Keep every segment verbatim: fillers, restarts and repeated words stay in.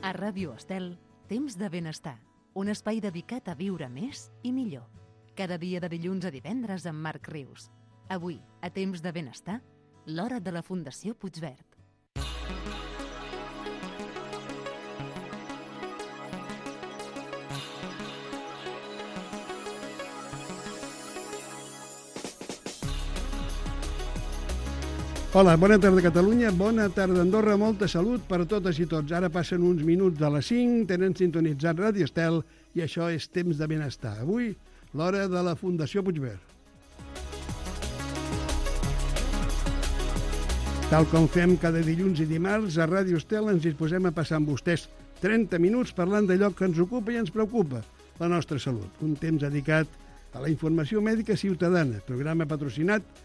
A Ràdio Estel, Temps de Benestar, un espai dedicat a viure més i millor. Cada dia de dilluns a divendres amb Marc Rius. Avui, a Temps de Benestar, l'hora de la Fundació Puigverd. Hola, bona tarda Catalunya, bona tarda Andorra, molta salut per totes i tots. Ara passen uns minuts de les cinc, tenen sintonitzat Ràdio Estel i això és Temps de Benestar. Avui, l'hora de la Fundació Puigverd. Tal com fem cada dilluns i dimarts, a Ràdio Estel ens disposem a passar amb vostès trenta minuts parlant d'allò que ens ocupa i ens preocupa, la nostra salut. Un temps dedicat a la informació mèdica ciutadana, programa patrocinat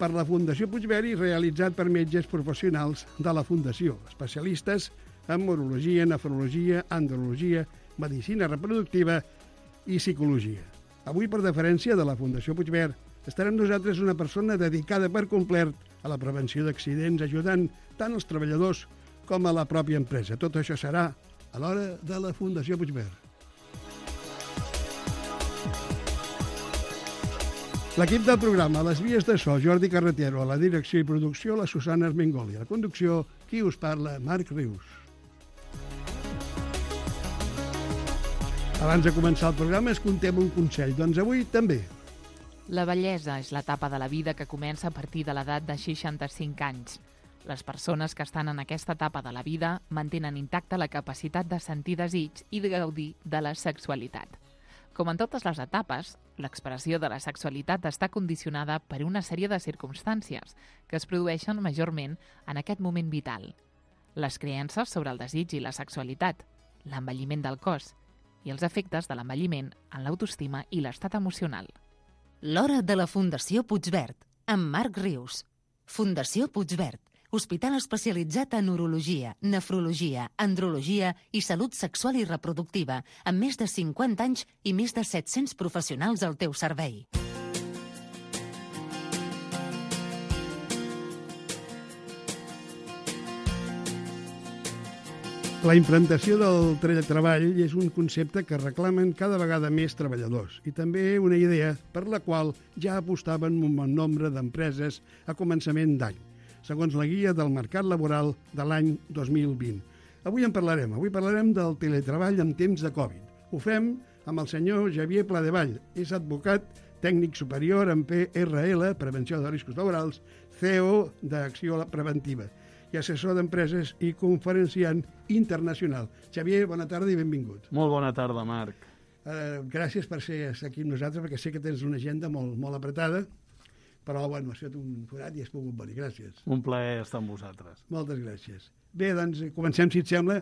per la Fundació Puigverd i realitzat per metges professionals de la Fundació, especialistes en urologia, nefrologia, andrologia, medicina reproductiva i psicologia. Avui, per deferència de la Fundació Puigverd, estarà amb nosaltres una persona dedicada per complet a la prevenció d'accidents, ajudant tant els treballadors com a la pròpia empresa. Tot això serà a l'hora de la Fundació Puigverd. L'equip del programa, a les vies de so, Jordi Carretero, a la direcció i producció, la Susana Armengoli. A la conducció, qui us parla, Marc Rius. Abans de començar el programa, es contem un consell. Doncs avui també. La vellesa és l'etapa de la vida que comença a partir de l'edat de seixanta-cinc anys. Les persones que estan en aquesta etapa de la vida mantenen intacta la capacitat de sentir desig i de gaudir de la sexualitat. Com en totes les etapes, l'expressió de la sexualitat està condicionada per una sèrie de circumstàncies que es produeixen majorment en aquest moment vital. Les creences sobre el desig i la sexualitat, l'envelliment del cos i els efectes de l'envelliment en l'autoestima i l'estat emocional. L'hora de la Fundació Puigverd, amb Marc Rius. Fundació Puigverd, hospital especialitzat en urologia, nefrologia, andrologia i salut sexual i reproductiva, amb més de cinquanta anys i més de set-cents professionals al teu servei. La implantació del teletreball és un concepte que reclamen cada vegada més treballadors i també una idea per la qual ja apostaven un bon nombre d'empreses a començament d'any, segons la guia del mercat laboral de l'any dos mil vint. Avui en parlarem. Avui parlarem del teletreball en temps de Covid. Ho fem amb el senyor Xavier Pladevall. És advocat, tècnic superior en P R L, Prevenció de Riscos Laborals, C E O d'Acció Preventiva i assessor d'empreses i conferenciant internacional. Xavier, bona tarda i benvingut. Molt bona tarda, Marc. Uh, gràcies per ser aquí amb nosaltres, perquè sé que tens una agenda molt, molt apretada, però bueno, has fet un forat i has pogut venir. Gràcies. Un plaer estar amb vosaltres. Moltes gràcies. Bé, doncs comencem, si et sembla.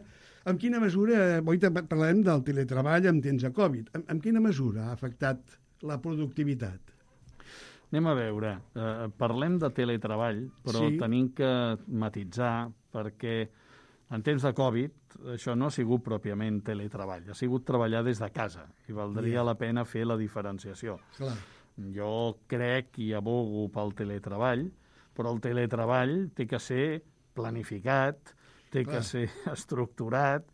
En quina mesura, avui parlarem del teletreball en temps de Covid, en, en quina mesura ha afectat la productivitat? Anem a veure, eh, parlem de teletreball, però sí. Tenim que matitzar perquè en temps de Covid això no ha sigut pròpiament teletreball, ha sigut treballar des de casa i valdria yeah. la pena fer la diferenciació. Clar. Jo crec i abogo pel teletreball, però el teletreball té que ser planificat, té Clar. que ser estructurat,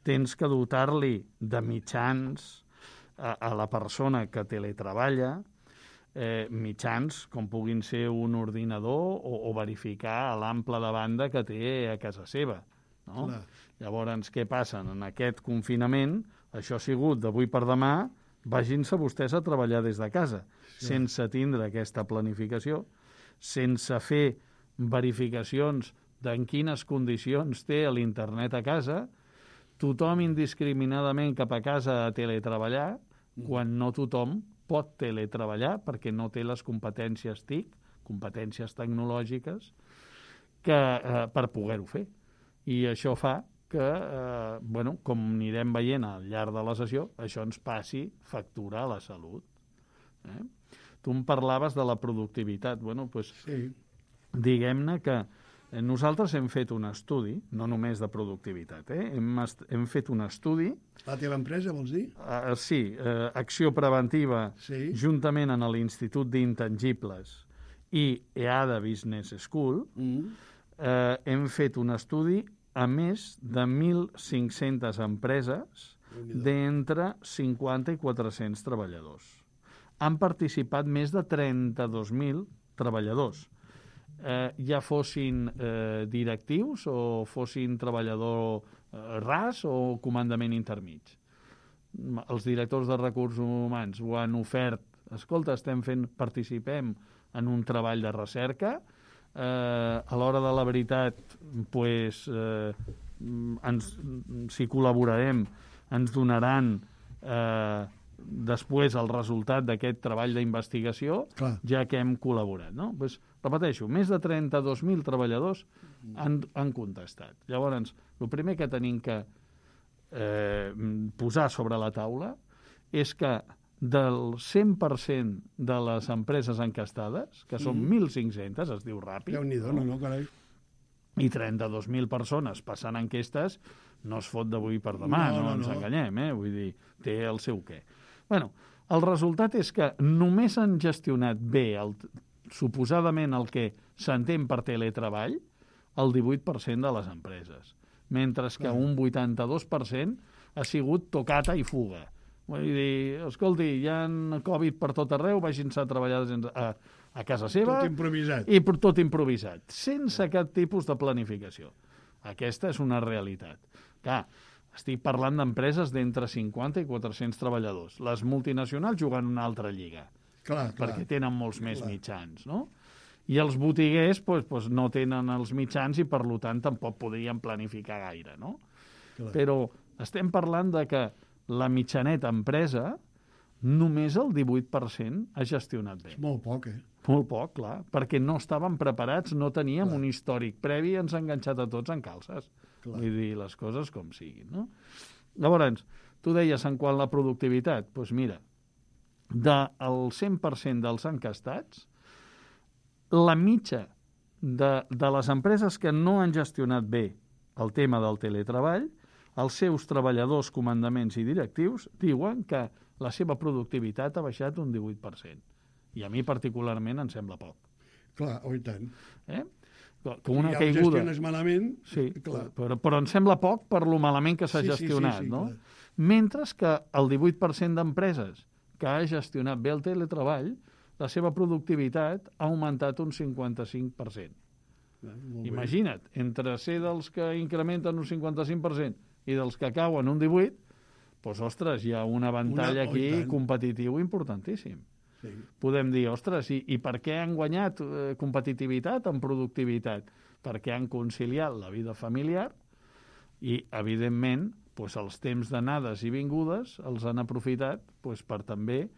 tens que dotar-li de mitjans a, a la persona que teletreballa, eh, mitjans com puguin ser un ordinador o, o verificar l'ample de banda que té a casa seva. No? Llavors, què passa? En aquest confinament, això ha sigut d'avui per demà, vagin-se vostès a treballar des de casa, sí. sense tindre aquesta planificació, sense fer verificacions d'en quines condicions té l'internet a casa, tothom indiscriminadament cap a casa a teletreballar, mm. quan no tothom pot teletreballar perquè no té les competències T I C, competències tecnològiques, que, eh, per poder-ho fer. I això fa que, eh, bueno, com anirem veient al llarg de la sessió, això ens passi factura a la salut. Eh? Tu em parlaves de la productivitat. Bueno, pues, sí. diguem-ne que nosaltres hem fet un estudi, no només de productivitat, eh? hem, hem fet un estudi... La teva empresa, vols dir? Uh, sí, uh, Acció Preventiva, sí. juntament amb l'Institut d'Intangibles i E A D A Business School, mm. uh, hem fet un estudi a més de mil cinc-centes empreses d'entre cinquanta i quatre-cents treballadors. Han participat més de trenta-dos mil treballadors, eh, ja fossin eh, directius o fossin treballador eh, ras o comandament intermig. Els directors de recursos humans ho han ofert. Escolta, estem fent, participem en un treball de recerca, eh, a l'hora de la veritat, pues, eh, ens, si col·laborarem, ens donaran eh, després el resultat d'aquest treball d'investigació, Clar. ja que hem col·laborat. No? Pues, repeteixo, més de trenta-dos mil treballadors han, han contestat. Llavors, el primer que tenim que eh, posar sobre la taula és que del cent per cent de les empreses encastades, que són Mm. mil cinc-centes, es diu ràpid, Déu-n'hi-do, no, no, carai. i trenta-dos mil persones passant enquestes, no es fot d'avui per demà, No, no, no, ens no. enganyem, eh? Vull dir, té el seu què. Bueno, el resultat és que només han gestionat bé, el, suposadament el que s'entén per teletreball, el divuit per cent de les empreses, mentre que Clar. un vuitanta-dos per cent ha sigut tocata i fuga. Vull dir, escolti, hi ha Covid per tot arreu, vagin-se a treballar a, a casa seva Tot improvisat. i per tot improvisat, sense cap tipus de planificació. Aquesta és una realitat. Clar, estic parlant d'empreses d'entre cinquanta i quatre-cents treballadors. Les multinacionals juguen una altra lliga, Clar, clar. perquè tenen molts més Clar. mitjans, no? I els botiguers pues, pues, no tenen els mitjans i, per tant, tampoc podrien planificar gaire, no? Clar. Però estem parlant de que la mitjaneta empresa només el divuit per cent ha gestionat bé. És molt poc, eh? Molt poc, clar, perquè no estàvem preparats, no teníem Clar. un històric previ i ens ha enganxat a tots en calces. Clar. Vull dir, les coses com siguin, no? Llavors, tu deies en quant a la productivitat, doncs mira, del cent per cent dels encastats, la mitja de, de les empreses que no han gestionat bé el tema del teletreball, els seus treballadors, comandaments i directius diuen que la seva productivitat ha baixat un divuit per cent. I a mi particularment em sembla poc. Clar, oh, i tant. Eh? Que una si ja caiguda... ho gestiones malament, Sí, clar. però, però em sembla poc per lo malament que s'ha Sí, sí, sí, gestionat, sí, no? clar. Mentre que el divuit per cent d'empreses que ha gestionat bé el teletreball, la seva productivitat ha augmentat un cinquanta-cinc per cent. Ah, molt bé. Imagina't, entre ser dels que incrementen un cinquanta-cinc per cent i dels que cauen un divuit, doncs, ostres, hi ha un avantall Una- oh, i aquí tant. competitiu importantíssim. Sí. Podem dir, ostres, i, i per què han guanyat eh, competitivitat en productivitat? Perquè han conciliat la vida familiar i, evidentment, doncs, els temps d'anades i vingudes els han aprofitat doncs, per també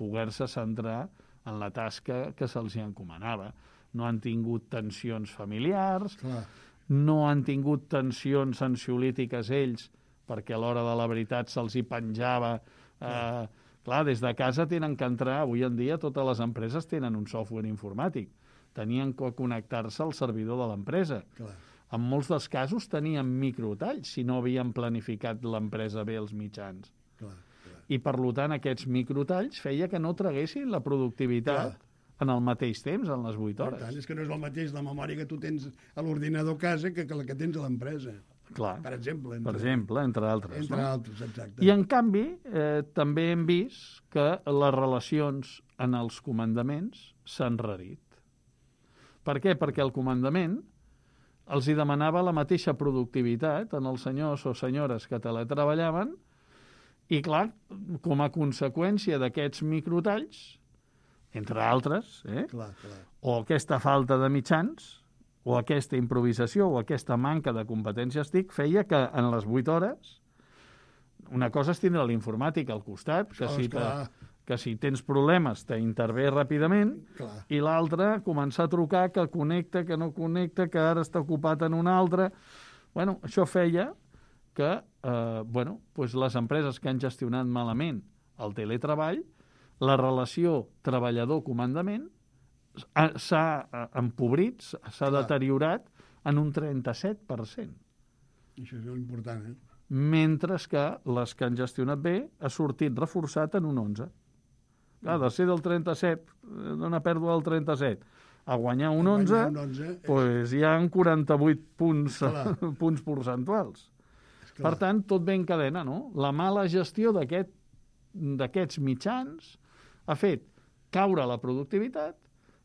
poder-se centrar en la tasca que se'ls hi encomanava. No han tingut tensions familiars, Clar. no han tingut tensions ansiolítiques ells, perquè a l'hora de la veritat se'ls hi penjava. Eh, clar, des de casa tenen que entrar, avui en dia totes les empreses tenen un software informàtic. Tenien que connectar-se al servidor de l'empresa. Clar. En molts dels casos tenien microtalls si no havien planificat l'empresa bé els mitjans. Clar, clar. I, per tant, aquests microtalls feia que no traguessin la productivitat Clar. en el mateix temps, en les vuit Per hores. tant, és que no és el mateix la memòria que tu tens a l'ordinador a casa que, que la que tens a l'empresa, Clar, per exemple. per exemple, entre altres. Entre no? altres, exacte. I, en canvi, eh, també hem vist que les relacions en els comandaments s'han rarit. Per què? Perquè el comandament els hi demanava la mateixa productivitat en els senyors o senyores que teletreballaven i, clar, com a conseqüència d'aquests microtalls, entre altres, eh, Clar, clar. o aquesta falta de mitjans, o aquesta improvisació, o aquesta manca de competències TIC, feia que en les vuit hores una cosa és tindre l'informàtic al costat, que Això, si, te, esclar. que si tens problemes t'intervé ràpidament, Clar. i l'altre començar a trucar, que connecta, que no connecta, que ara està ocupat en un altre. Bueno, això feia que eh, bueno, pues les empreses que han gestionat malament el teletreball, la relació treballador-comandament ha- s'ha eh, empobrit, s'ha Clar. deteriorat en un trenta-set per cent. Això és molt important, eh? Mentre que les que han gestionat bé ha sortit reforçat en un onze. Clar, de ser del trenta-set, d'una pèrdua del trenta-set, a guanyar un A onze, guanyar un onze és- pues hi ha quaranta-vuit punts, Clar. punts percentuals. Esclar. Per tant, tot ve en cadena, no? La mala gestió d'aquest, d'aquests mitjans ha fet caure la productivitat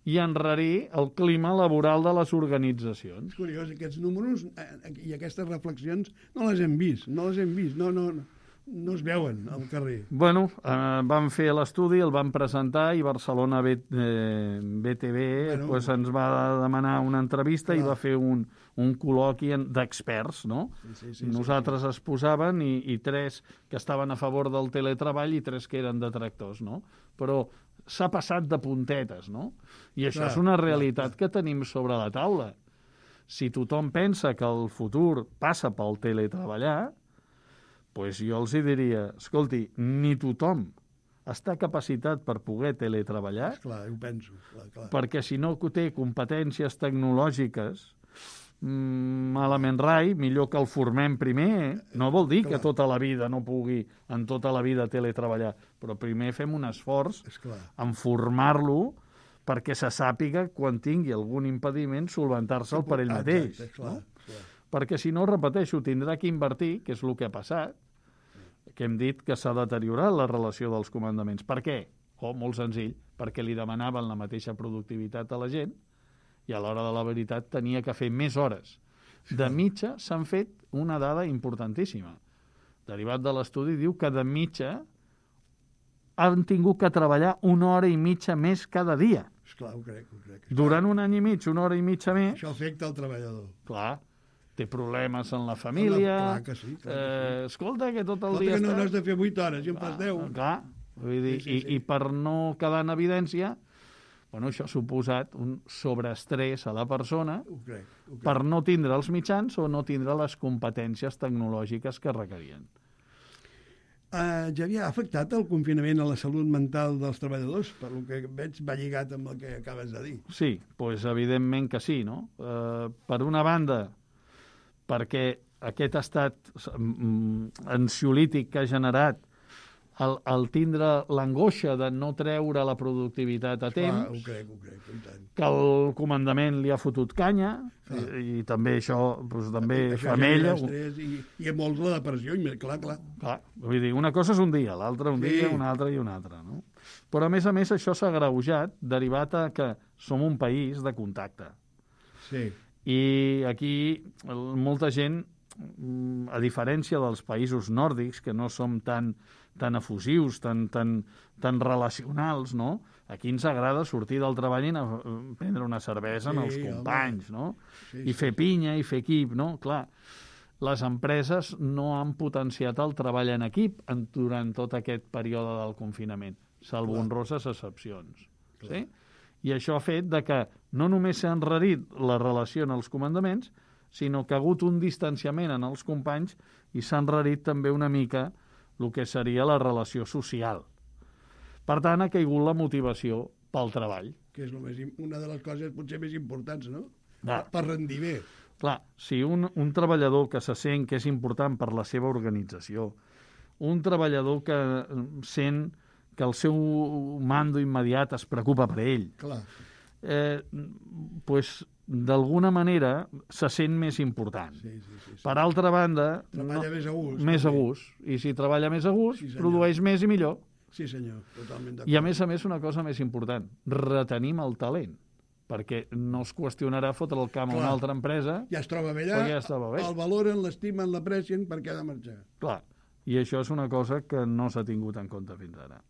i enrarir el clima laboral de les organitzacions. És curiós, aquests números eh, i aquestes reflexions no les hem vist, no les hem vist, no, no, no, no es veuen al carrer. Bueno, eh, vam fer l'estudi, el vam presentar i Barcelona B, eh, B T V Bueno. pues, ens va demanar una entrevista i Clar. va fer un, un col·loqui en- d'experts, no? Sí, sí, sí, Nosaltres es posaven i, i tres que estaven a favor del teletreball i tres que eren detractors, no? Però s'ha passat de puntetes, no? I això Clar, és una clar, realitat que tenim sobre la taula. Si tothom pensa que el futur passa pel teletreballar, pues jo els hi diria, escolti, ni tothom està capacitat per poder teletreballar, Clar, ho penso, clar, clar. perquè si no té competències tecnològiques, mm, malament rai, millor que el formem primer. No vol dir Clar. que tota la vida no pugui en tota la vida teletreballar, però primer fem un esforç Esclar. en formar-lo perquè se sàpiga quan tingui algun impediment solventar-se'l per ell mateix. Exacte, clar, No? clar. Perquè si no, repeteixo, tindrà que invertir, que és el que ha passat, que hem dit que s'ha deteriorat la relació dels comandaments. Per què? Oh, molt senzill, perquè li demanaven la mateixa productivitat a la gent i a l'hora de la veritat tenia que fer més hores. De mitja s'han fet una dada importantíssima. Derivat de l'estudi diu que de mitja han tingut que treballar una hora i mitja més cada dia. Esclar, ho crec, ho crec. Durant un any i mig, una hora i mitja més, Això afecta el treballador. clar, té problemes en la família. Clar que sí, clar que eh, escolta, que tot el Escolta dia que no, està... no has de fer vuit hores, i en fas deu. Clar, vull dir, Sí, sí, i, sí. i per no quedar en evidència, bueno, això ha suposat un sobreestrès a la persona Ho crec, ho crec. per no tindre els mitjans o no tindre les competències tecnològiques que requerien. Uh, ja havia afectat el confinament a la salut mental dels treballadors? Per lo que veig va lligat amb el que acabes de dir. Sí, doncs evidentment que sí, no? Eh, per una banda, perquè aquest estat mm, ansiolític que ha generat el, el tindre l'angoixa de no treure la productivitat a temps, Clar, ho crec, ho crec, i tant. que el comandament li ha fotut canya, i, i també això doncs, també Això femella. genera estrès I, I a molts la depressió, i més, clar, clar. Clar, vull dir, una cosa és un dia, l'altra un Sí. dia, una altra i una altra, no? Però a més a més això s'ha agreujat derivat a que som un país de contacte. Sí. I aquí el- molta gent, mm, a diferència dels països nòrdics, que no som tan, tan efusius, tan, tan, tan relacionals, no? Aquí ens agrada sortir del treball i anar a prendre una cervesa Sí, amb els home. companys, no? Sí, I sí, fer pinya i fer equip, no? Clar, les empreses no han potenciat el treball en equip en, durant tot aquest període del confinament, salvo Clar. honroses excepcions. Sí? I això ha fet de que no només s'ha enrarit la relació en els comandaments, sinó que ha hagut un distanciament en els companys i s'ha enrarit també una mica el que seria la relació social. Per tant, ha caigut la motivació pel treball. Que és lo més, im- una de les coses potser més importants, no? Ah. Per rendir bé. Clar, si un, un treballador que se sent que és important per la seva organització, un treballador que eh, sent que el seu mando immediat es preocupa per ell, Clar. eh, pues, d'alguna manera se sent més important. Sí, sí, sí. sí. Per altra banda, Treballa més a gust. més a també. gust. I si treballa més a gust, Sí, senyor. produeix més i millor. Sí, senyor, totalment d'acord. I a més a més, una cosa més important, retenim el talent, perquè no es qüestionarà fotre el camp a una Clar. altra empresa. Ja es troba bé allà, Perquè ja estava bé. el valoren, l'estimen, l'aprecien, perquè ha de marxar. Clar, i això és una cosa que no s'ha tingut en compte fins ara.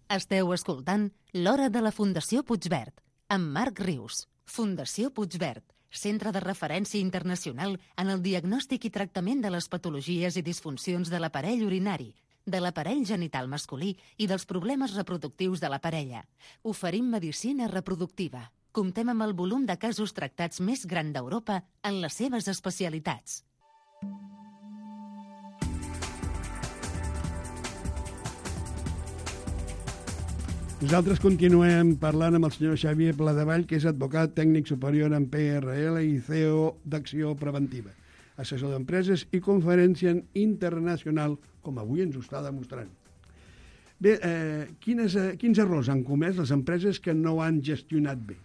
Esteu escoltant L'Hora de la Fundació Puigverd, amb Marc Rius. Fundació Puigverd, centre de referència internacional en el diagnòstic i tractament de les patologies i disfuncions de l'aparell urinari, de l'aparell genital masculí i dels problemes reproductius de la parella. Oferim medicina reproductiva. Comptem amb el volum de casos tractats més gran d'Europa en les seves especialitats. Nosaltres continuem parlant amb el senyor Xavier Pladevall, que és advocat tècnic superior en P R L i C E O d'Acció Preventiva, assessor d'empreses i conferència internacional, com avui ens ho està demostrant. Bé, eh, quines, eh, quins errors han comès les empreses que no han gestionat bé?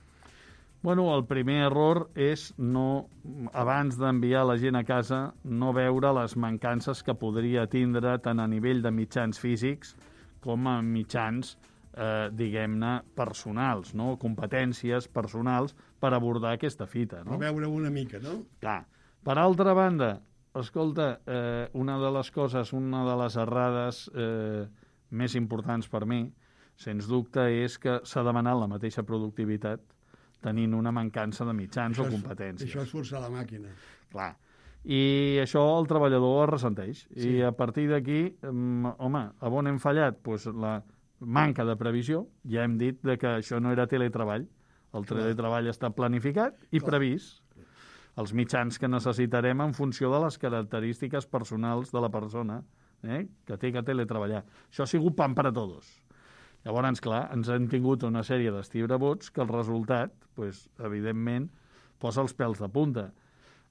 Bueno, el primer error és no, abans d'enviar la gent a casa, no veure les mancances que podria tindre tant a nivell de mitjans físics com a mitjans, eh, diguem-ne, personals, no? Competències personals per abordar aquesta fita. No? Per veure una mica, no? Clar. Per altra banda, escolta, eh, una de les coses, una de les errades eh, més importants per mi, sens dubte, és que s'ha demanat la mateixa productivitat tenint una mancança de mitjans Això o és- competències. Això és forçar la màquina. Clar. I això el treballador es ressenteix. Sí. I a partir d'aquí, mm, home, a on hem fallat? Pues la manca de previsió. Ja hem dit de que això no era teletreball. El teletreball està planificat i Clar. previst. Els mitjans que necessitarem en funció de les característiques personals de la persona eh, que té que teletreballar. Això ha sigut pan per a tots. Llavors, clar, ens han tingut una sèrie d'estibrabots que el resultat, pues, evidentment, posa els pèls de punta.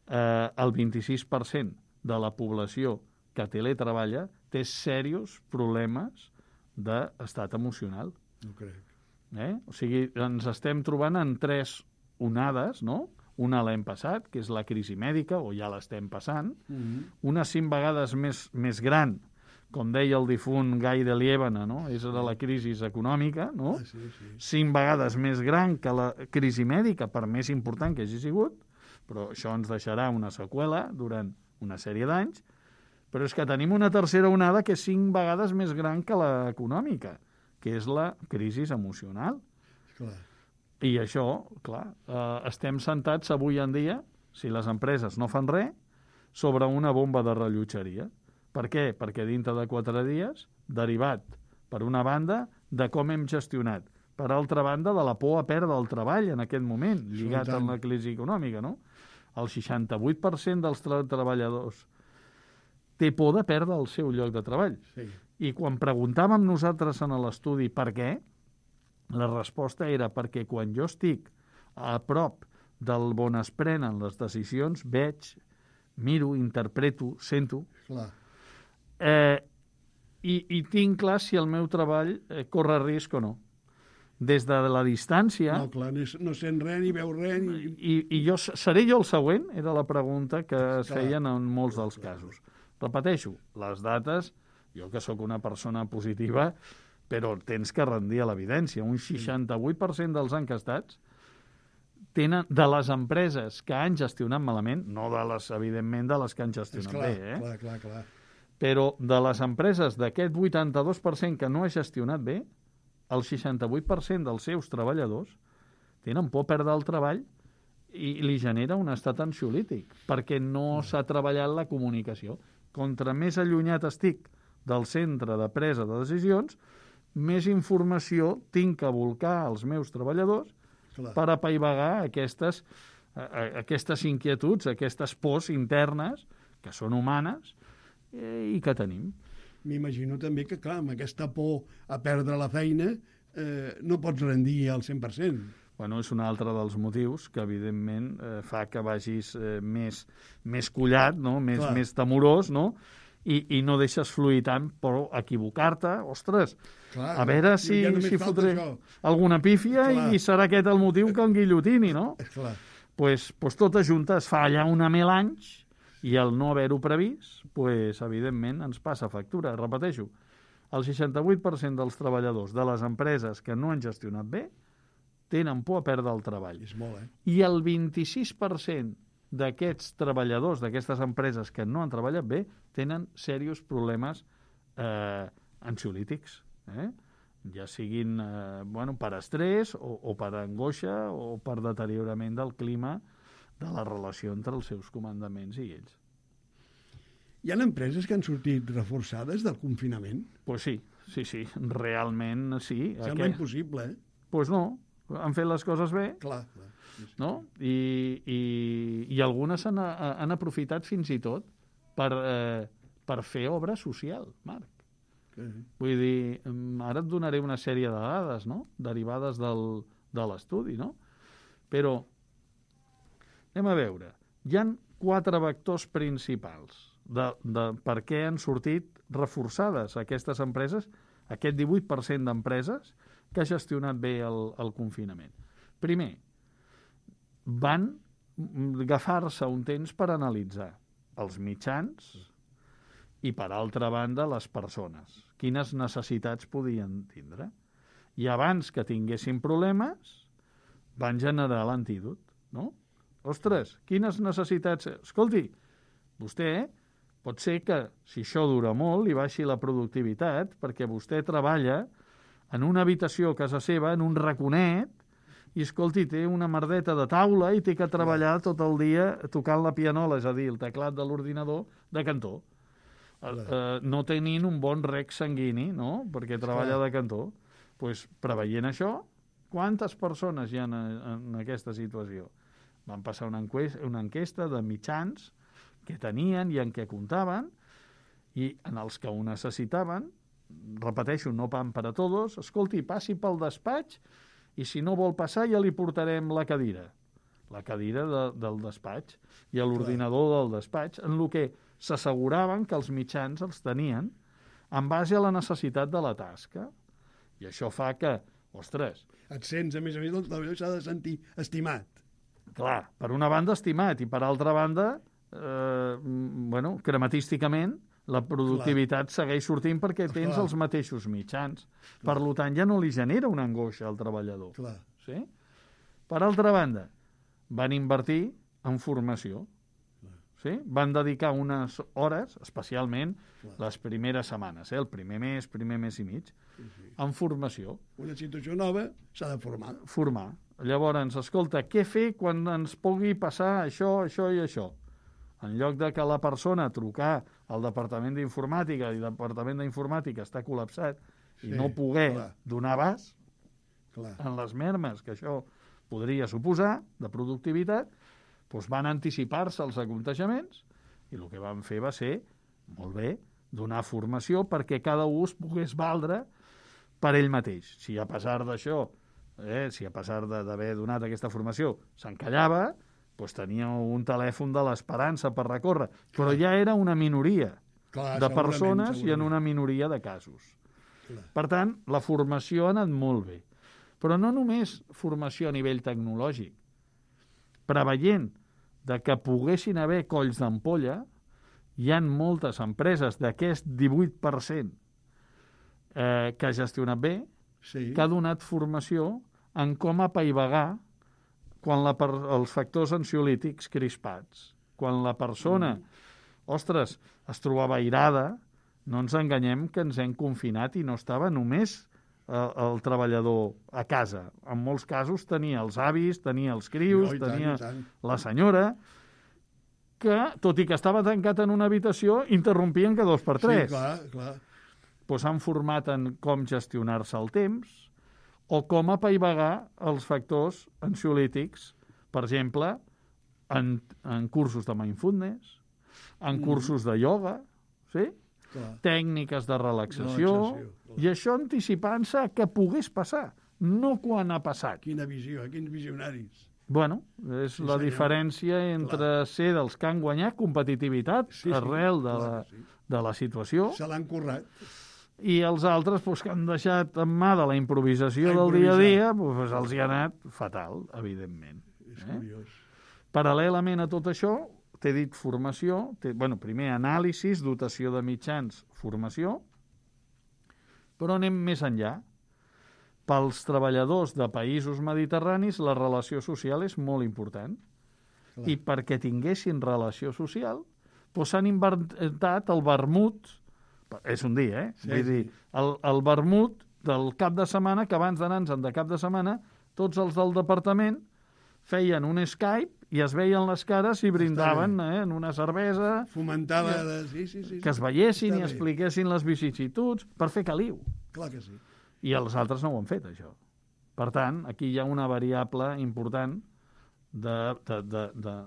Eh, el vint-i-sis per cent de la població que teletreballa té serios problemes d'estat emocional. No crec. Eh? O sigui, ens estem trobant en tres onades, no? Una l'hem passat, que és la crisi mèdica, o ja l'estem passant. Mm-hmm. Una cinc vegades més, més gran, com deia el difunt Gai de Liébana, no? És de la crisi econòmica, no? Ah, sí, sí. Cinc vegades més gran que la crisi mèdica, per més important que hagi sigut, però això ens deixarà una seqüela durant una sèrie d'anys, però és que tenim una tercera onada que és cinc vegades més gran que l'econòmica, que és la crisi emocional. Clar. I això, clar, eh, estem sentats avui en dia, si les empreses no fan res, sobre una bomba de rellotgeria. Per què? Perquè dintre de quatre dies, derivat, per una banda, de com hem gestionat, per altra banda, de la por a perdre el treball en aquest moment, lligat tant. amb la crisi econòmica, no? El seixanta-vuit per cent dels tra treballadors té por de perdre el seu lloc de treball. Sí. I quan preguntàvem nosaltres en l'estudi per què, la resposta era perquè quan jo estic a prop del on es prenen les decisions, veig, miro, interpreto, sento, Clar. eh, i, i tinc clar si el meu treball eh, corre risc o no. Des de la distància... No, clar, no, no sent res, ni veu res, ni... I, i jo seré jo el següent? Era la pregunta que es Clar. feien en molts dels casos. Repeteixo, les dates, jo que sóc una persona positiva, però tens que rendir a l'evidència. Un seixanta-vuit per cent dels encastats tenen, de les empreses que han gestionat malament, no de les, evidentment, de les que han És gestionat clar, bé, eh? clar, clar, clar. Però de les empreses d'aquest vuitanta-dos per cent que no ha gestionat bé, el seixanta-vuit per cent dels seus treballadors tenen por a perdre el treball i li genera un estat ansiolític, perquè no s'ha treballat la comunicació. Contra més allunyat estic del centre de presa de decisions, més informació tinc que volcar als meus treballadors Clar. per apaivagar aquestes, eh, aquestes inquietuds, aquestes pors internes, que són humanes eh, i que tenim. M'imagino també que, clar, amb aquesta por a perdre la feina eh, no pots rendir al cent per cent. Bueno, és un altre dels motius que, evidentment, eh, fa que vagis eh, més, més collat, no? més, Clar. més temorós, no? I, i no deixes fluir tant, però equivocar-te, ostres, Clar, a veure si, ja només si falta fotré això. alguna pífia Clar. i serà aquest el motiu que em guillotini, no? És clar. Pues, pues tota junta es fa allà una mil anys i el no haver-ho previst, pues, evidentment, ens passa factura. Repeteixo, el seixanta-vuit per cent dels treballadors de les empreses que no han gestionat bé tenen por a perdre el treball. És molt, eh? I el vint-i-sis per cent d'aquests treballadors, d'aquestes empreses que no han treballat bé, tenen serios problemes eh, ansiolítics, eh? ja siguin eh, bueno, per estrès o, o per angoixa o per deteriorament del clima de la relació entre els seus comandaments i ells. Hi ha empreses que han sortit reforçades del confinament? Doncs pues sí, sí, sí, realment sí. Sembla Aquest... impossible, eh? Doncs pues no, han fet les coses bé, Clar, clar. Sí, sí. no? I, i, i algunes han, han aprofitat fins i tot per, eh, per fer obra social, Marc. Que... Vull dir, ara et donaré una sèrie de dades, no?, derivades del, de l'estudi, no? Però, anem a veure, hi han quatre vectors principals de, de per què han sortit reforçades aquestes empreses, aquest divuit per cent d'empreses que ha gestionat bé el, el confinament. Primer, van agafar-se un temps per analitzar els mitjans i, per altra banda, les persones. Quines necessitats podien tindre. I abans que tinguessin problemes, van generar l'antídot, no? Ostres, quines necessitats... Escolti, vostè pot ser que, si això dura molt, li baixi la productivitat, perquè vostè treballa en una habitació a casa seva, en un raconet, i, escolti, té una merdeta de taula i té que treballar tot el dia tocant la pianola, és a dir, el teclat de l'ordinador de cantó. Uh, no tenint un bon rec sanguini, no?, perquè treballa de cantó. Doncs, pues, preveient això, quantes persones hi ha en, en aquesta situació? Van passar una enquesta, una enquesta de mitjans que tenien i en què comptaven, i en els que ho necessitaven, repeteixo, no pan per a tots, escolti, passi pel despatx i si no vol passar ja li portarem la cadira, la cadira de, del despatx i l'ordinador del despatx, en el que s'asseguraven que els mitjans els tenien en base a la necessitat de la tasca. I això fa que, ostres... Et sents, a més a més, el treballador s'ha de sentir estimat. Clar, per una banda estimat i per altra banda, eh, bueno, crematísticament, la productivitat Clar. segueix sortint perquè tens Clar. els mateixos mitjans. Clar. Per tant, ja no li genera una angoixa al treballador. Clar. Sí? Per altra banda, van invertir en formació. Sí? Van dedicar unes hores, especialment Clar. les primeres setmanes, eh? el primer mes, primer mes i mig, sí, sí. en formació. Una situació nova s'ha de formar. Formar. Llavors, escolta, què fer quan ens pugui passar això, això i això? En lloc de que la persona trucar al Departament d'Informàtica i el Departament d'Informàtica està col·lapsat sí, i no poder clar. donar abast clar. en les mermes que això podria suposar de productivitat, doncs van anticipar-se als aconteixements i el que van fer va ser, molt bé, donar formació perquè cada un es pogués valdre per ell mateix. Si a pesar d'això, eh, si a pesar d'haver donat aquesta formació s'encallava, doncs tenia un telèfon de l'esperança per recórrer, però Clar. ja era una minoria Clar, de persones segurament. i en una minoria de casos. Clar. Per tant, la formació ha anat molt bé. Però no només formació a nivell tecnològic. Preveient de que poguessin haver colls d'ampolla, hi ha moltes empreses d'aquest divuit per cent eh, que ha gestionat bé, sí. que ha donat formació en com apaivagar quan la per, els factors ansiolítics crispats. Quan la persona, mm. ostres, es trobava airada, no ens enganyem que ens hem confinat i no estava només eh, el treballador a casa. En molts casos tenia els avis, tenia els crios, no, tenia tant, tant. la senyora, que, tot i que estava tancat en una habitació, interrompien cada dos per tres. Sí, clar, clar. Pues han format en com gestionar-se el temps, o com apaivagar els factors ansiolítics, per exemple, en, en cursos de mindfulness, en mm. cursos de ioga, sí? Clar. Tècniques de relaxació, relaxació i això anticipant-se que pogués passar, no quan ha passat. Quina visió, quins visionaris. Bueno, és sí, la senyor. diferència entre clar. ser dels que han guanyat competitivitat sí, sí, arrel de, clar, la, sí. de la situació. Se l'han currat. I els altres pues, que han deixat en mà de la improvisació del dia a dia, pues, els hi ha anat fatal, evidentment. És eh? curiós. Paral·lelament a tot això, t'he dit formació, bueno, primer anàlisis, dotació de mitjans, formació, però anem més enllà. Pels treballadors de països mediterranis la relació social és molt important. Clar. I perquè tinguessin relació social, doncs s'han inventat el vermut. És un dia, eh? Sí, Vull sí. dir, el, el vermut del cap de setmana, que abans d'anar-nos de cap de setmana, tots els del departament feien un Skype i es veien les cares i brindaven eh, en una cervesa. Fomentava... De... Sí, sí, sí, que es veiessin i expliquessin les vicissituds per fer caliu. Clar que sí. I els altres no ho han fet, això. Per tant, aquí hi ha una variable important de, de, de, de,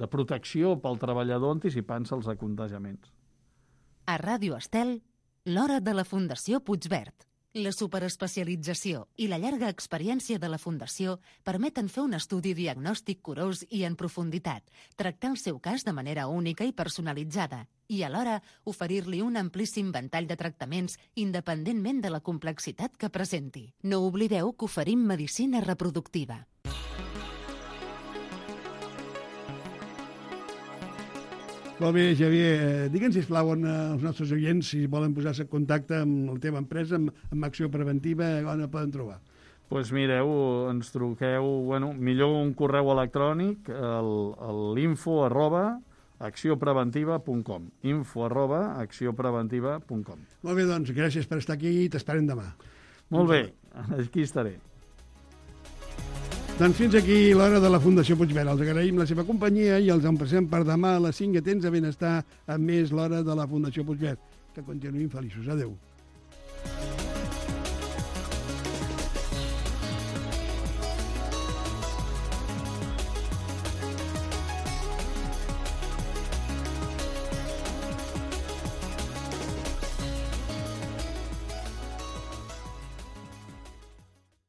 de protecció pel treballador anticipant-se als acontagiaments. A Ràdio Estel, l'hora de la Fundació Puigverd. La superespecialització i la llarga experiència de la Fundació permeten fer un estudi diagnòstic curós i en profunditat, tractar el seu cas de manera única i personalitzada i alhora oferir-li un amplíssim ventall de tractaments independentment de la complexitat que presenti. No oblideu que oferim medicina reproductiva. Molt bé, Xavier. Eh, Digue'ns, sisplau, on eh, els nostres oients, si volen posar-se en contacte amb la teva empresa, amb, amb Acció Preventiva, on la poden trobar? Doncs pues mireu, ens truqueu, bueno, millor un correu electrònic, l'info arroba acciópreventiva punt com. Info arroba acciópreventiva punt com. Molt bé, doncs, gràcies per estar aquí i t'esperem demà. Molt bé, aquí estaré. Doncs fins aquí l'hora de la Fundació Puigverd. Els agraïm la seva companyia i els emplacem per demà a les cinc. Atents a benestar amb més l'hora de la Fundació Puigverd. Que continuïn feliços. Adéu.